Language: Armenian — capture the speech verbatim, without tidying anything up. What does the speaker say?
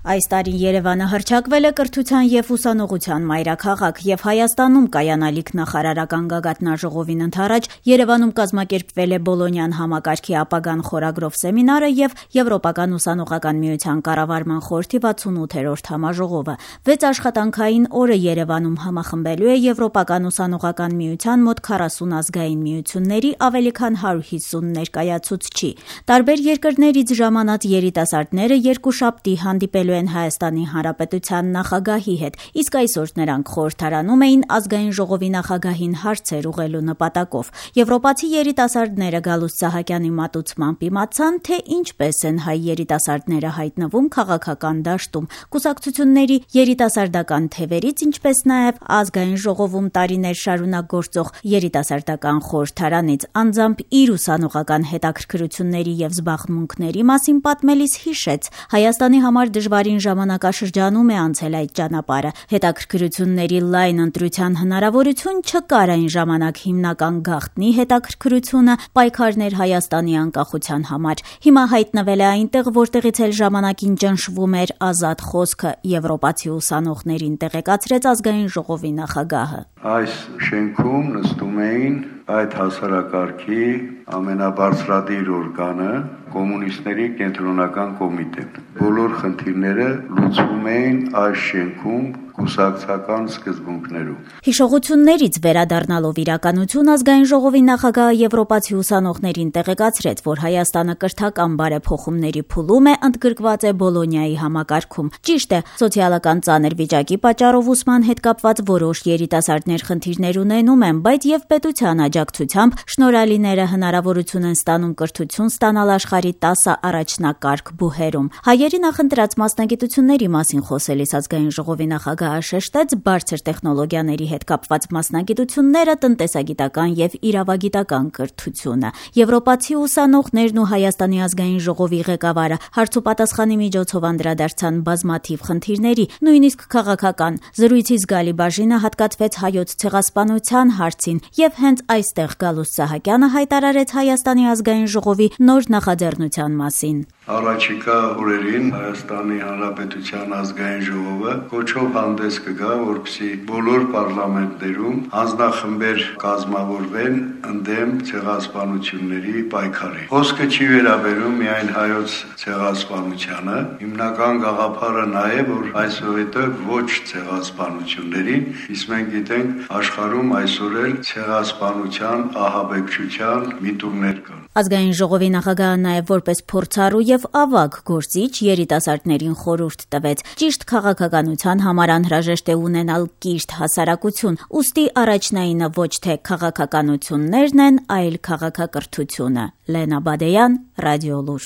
Այս տարի Երևանը հռչակվել է կրթության և ուսանողության մայրաքաղաք և Հայաստանում կայանալիք նախարարական գագաթնաժողովին ընդառաջ Երևանում կազմակերպվել է Բոլոնյան համակարգի ապագան խորագրով սեմինարը և Եվրոպական ուսանողական միության կառավարման խորհրդի վաթսունութերորդ համաժողովը։ Վեց աշխատանքային օրը Երևանում համախմբելու է Եվրոպական ուսանողական միության մոտ քառասուն ազգային միությունների ավելի քան հարյուր հիսուն ներկայացուցչի։ Տարբեր երկրներից ժամանած երիտասարդները երկուշաբթի հանդիպելու են Հայաստանի Հանրապետության նախագահի հետ, իսկ այսօր նրանք խորհրդարանում էին ազգային ժողովի նախագահին հարցեր ուղղելու նպատակով։ Եվրոպացի երիտասարդները Գալուստ Սահակյանի մատուցմամբ իմացան, թե ինչպես են հայ երիտասարդները հայտնվում քաղաքական դաշտում, կուսակցությունների երիտասարդական թևերից, ինչպես նաև ազգային ժողովում տարիներ շարունակ գործող երիտասարդական խորհրդարանից։ Անձամբ իր ուսանողական հետաքրքրությունների և զբաղմունքների մասին պատմելիս հիշեց՝ Հայաստանի համար դժվարին ժամանակաշրջանում է անցել այդ ճանապարհը։ Հետաքրքրությունների լայն ընտրության հնարավորություն չկար այն ժամանակ, հիմնական գաղտնի հետաքրքրությունը պայքարներ Հայաստանի անկախության համար։ Հիմա հայտնվել է այնտեղ, որտեղից էլ ժամանակին ճնշվում էր ազատ խոսքը, եվրոպացի ուսանողներին տեղեկացրեց ազգային ժողովի նախագահը։ Այս շենքում նստում էին այդ հասարակարգի ամենաբարձրադիր օրգանը կոմունիստների կենտրոնական կոմիտեն։ Բոլոր խնդիրները լուծվում էին այս շենքում կուսակցական սկզբունքներով։ Հիշողություններից վերադառնալով իրականություն, ազգային ժողովի նախագահը եվրոպացի ուսանողներին տեղեկացրեց, որ Հայաստանը կրթական բարեփոխումների փուլում է, ընդգրկված է Բոլոնյայի համակարգում։ Ճիշտ է, սոցիալական ծանր վիճակի պատճառով ուսման հետ կապված որոշ երիտասարդներ խնդիրներ ունենում են, բայց եւ պետության աջակցությամբ շնորհալիները հնարավորություն են ստանում կրթություն ստանալ աշխարհի տասը առաջնակարգ բուհերում։ Հայերի նախընտրած մասնագիտությունների մասին խոսելիս ազգային ժողովի նախագահը շեշտեց բարձր տեխնոլոգիաների հետ կապված մասնագիտությունները, տնտեսագիտական եւ իրավագիտական կրթությունը։ Եվրոպացի ուսանողներն ու Հայաստանի ազգային ժողովի ղեկավարը հարցուպատասխանի միջոցով անդրադարձան բազմաթիվ խնդիրների, նույնիսկ քաղաքական։ Զրույցի զգալի բաժինը հատկացվեց հայոց ցեղասպանության հարցին, եւ հենց այստեղ Գալուստ Սահակյանը հայտարարեց Հայաստանի ազգային ժողովի նոր նախաձեռնության մասին։ Առաջիկա օրերին Հայաստանի Հանրապետության ազգային ժողովը կոչով հանդես կգա, որպեսզի բոլոր պարլամենտներում հանձնախմբեր կազմավորվեն ընդդեմ ցեղասպանությունների պայքարի։ Խոսքը չի վերաբերում միայն հայոց ցեղասպանությանը, հիմնական գաղափարը նա է, որ այսօր ոչ ցեղասպանություններին, իսկ մենք գիտենք աշխարհում այսօր էլ ցեղասպանության, ահաբեկչության միտումներ կան։ Ազգային ժողովի նախագահը նաև որպես փորձառու եւ ավագ գործիչ երիտասարդներին խորհուրդ տվեց։ Ճիշտ քաղաքականության համար անհրաժեշտ է ունենալ կիրթ հասարակություն, ուստի առաջնայինը ոչ թե քաղաքականություններն են, այլ քաղաքակրթությունը։ Լենա Բադեյան, Ռադիոլուր։